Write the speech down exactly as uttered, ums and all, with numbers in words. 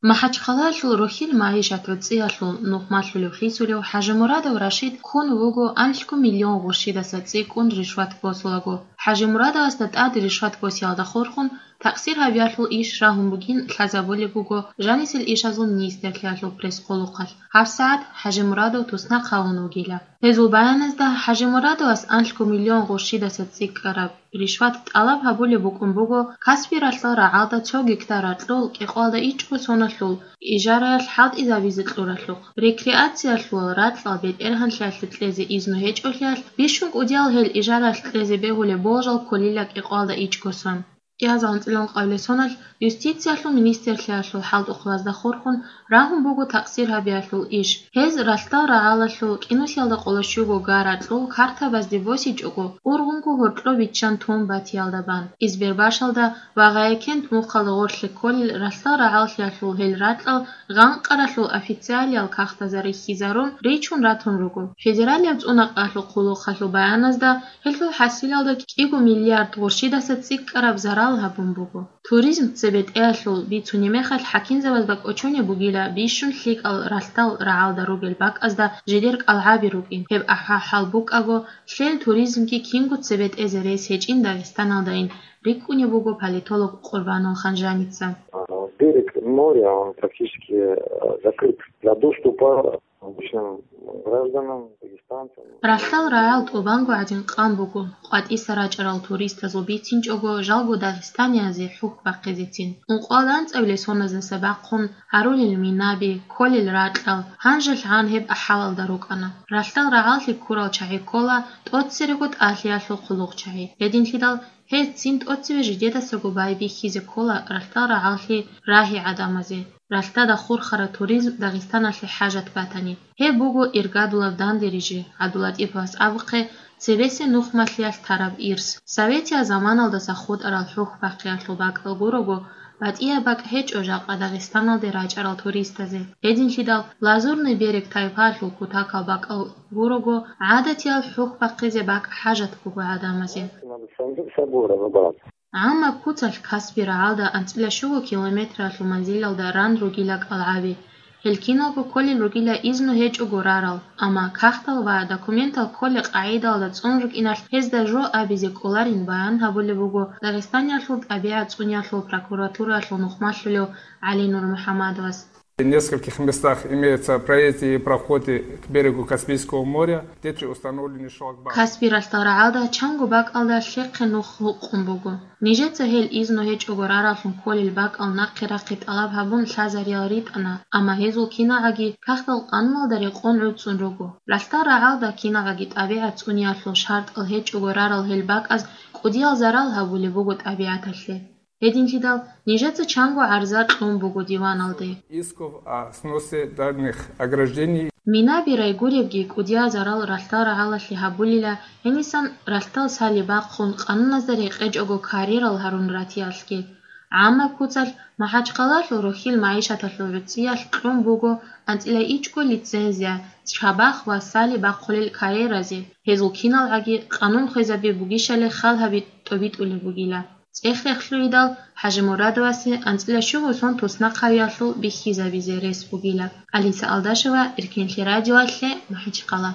МахӀачхъалаялъул рухьил магӀишат гӀуцӀиялъул нухмалъулев хисулев ХӀажимурадов Рашид ккун вуго анлъго миллион гъурщидаса цӀикӀкӀун ришват босулаго. ХӀажимурадовасда тӀад ришват босиялда хурхун, такъсир гьабиялъул иш рагьун бугин лъазабулеб буго жанисел ишазул министрлъиялъул пресс-хъулухъалъ. ГьабсагӀат ХӀажимурадов туснахъ гьавун вугила. Гьезул баяназда ХӀажимурадовас анлъго миллион гъурщидаса цӀикӀкӀараб ришват тӀалаб гьабулеб букӀун буго Каспи ралъдал рагӀалда цо гектар ракьул кӀикъоялда ичӀго соналъул ижараялъ хӀалтӀизабизе кьуралъухъ. Рекреациялъул ракьал бетӀергьанлъиялъе кьезе изну гьечӀолъиялъ, бищун кӀудиял гьел ижараялъ кьезе бегьулеб болжал кколила кӀикъоялда ичӀго сон. Кьиазул анцӀила ункъабилеб соналъ юстициялъул министрлъиялъул хӀалтӀухълазда хурхун рагьун буго такъсир гьабиялъул иш. Гьез ралъдал рагӀалалъул кӀинусиялда къоло щуго га ракьул картабазде босичӀого, ургъунго гьоркьоб биччан тун батиялда бан. Избербашалда ва Гъаякент мухъалда гъорлъе кколел ралъдал рагӀаллъиялъул гьел ракьал гъанкъаралъул официалиял кагътазда рихьизарун ричун ратун руго. Федералияб цӀунакъалъул хъулухъалъул баяназда гьелъул хӀасилалда кӀиго миллиард гъурщидаса цӀикӀкӀараб зарал гьабун буго. Туризм цебетӀеялъул бицунеб мехалъ хӀакимзабазда кӀочонеб бугила бищун лъикӀал ралъдал рагӀалда ругел бакӀазда жидер кӀалгӀаби рукӀин. Гьеб ахӀа-, хӀал букӀаго, лъел туризмги кинго цебетӀезе рес гьечӀин Дагъистаналдайин, рикӀкӀунеб буго политолог Къурбанул Ханжаница. А, берег моря, он практически, э, закрыт для доступа обычным гражданам, дагестанцам. Ралъдал рагӀал тӀубанго гӀадин къан буго, къватӀиса рачӀарал туристазул бицинчӀого жалго дагъистаниязе хӀухь бахъизецин. Ункъоялда анцӀабилеб соназдаса бахъун гьарулел минаби, кколел ракьал, гьанжелъ гьан гьеб ахӀалалда рукӀана. Ралъдал рагӀаллъи ккурал чагӀи ккола тӀоцерего тӀалъиялъул хъулухъчагӀи. Гьединлъидал гьез цин тӀоцеве жидедасаго байбихьизе ккола ралъдал рагӀаллъи рагьи гӀадамазе. Ралъдада хурхараб туризм Дагъистаналъе хӀажат батани, гьеб буго иргадулаб данде рижи, ГӀабдулатӀиповас абухъе, цебесеб нухмалъиялъ тараб ирс. Советиял заманалдаса хутӀарал хӀухь бахъиялъул бакӀал гурого, батӀияб бакӀ гьечӀо жакъа Дагъистаналде рачӀарал туристазе. Гьединлъидал Лазурный берег тайпаялъул кутакал бакӀал гурого, гӀадатиял хӀухь бахъизе бакӀ хӀажат буго гӀадамазе. Надо сам-, собой разобраться. ГӀаммаб куцалъ Каспи рагӀалда анцӀила щуго километралъул манзилалда ран ругила кӀалгӀаби. Гьел киналго кколел ругила изну гьечӀого рарал, амма кагътал ва документал кколел къагӀидалда цӀун рукӀиналъ гьезда жо абизе кӀоларин баян гьабулеб буго Дагъистаниялъул тӀабигӀат цӀуниялъул прокуратураялъул нухмалъулев ГӀалинур МухӀаммадовас. В нескольких местах имеются проезды и проходы к берегу Каспийского моря, где установлены шлагбаумы. Каспи ралъдал рагӀалда чанго бакӀалда лъехъе нух гьукъун буго. Нижеца гьел изну гьечӀого рараллъун кколел бакӀал нахъе рахъи тӀалаб гьабун лъазариял ритӀана, амма гьезул киналгӀаги кагътал къануналда рекъон гӀуцӀун руго. Ралъдал рагӀалда киналгӀаги тӀабигӀат цӀуниялъул шартӀал гьечӀого рарал гьел бакӀаз кӀудиял зарал гьабулеб буго тӀабигӀаталъе. Гьединлъидал нижеца чанго гӀарза кьун буго диваналде. Исков о сносе данных ограждений. Минаби райгуребги кӀудиял зарал ралъдал рагӀалалъе гьабулила, гьенисан ралъдал сали бахъун къануназда рекъечӀого карьерал гьарун ратиялъги. ГӀаммаб куцалъ МахӀачхъалалъул рухьил магӀишаталъул гӀуцӀиялъ кьун буго анцӀила ичӀго лицензия, чабахъ ва сали бахъулел карьеразе. Гьезул киналгӀаги къанун хвезаби бугищали хал гьаби тӀобитӀулеб бугила. ЦӀех-рехлъугӀидал ХӀажимурадовасе анцӀила щуго сон туснахъавиялъул бихьизабизе рес бугила. Алиса Алдашева, Эркенлъи радиоялъе, МахӀачхъала.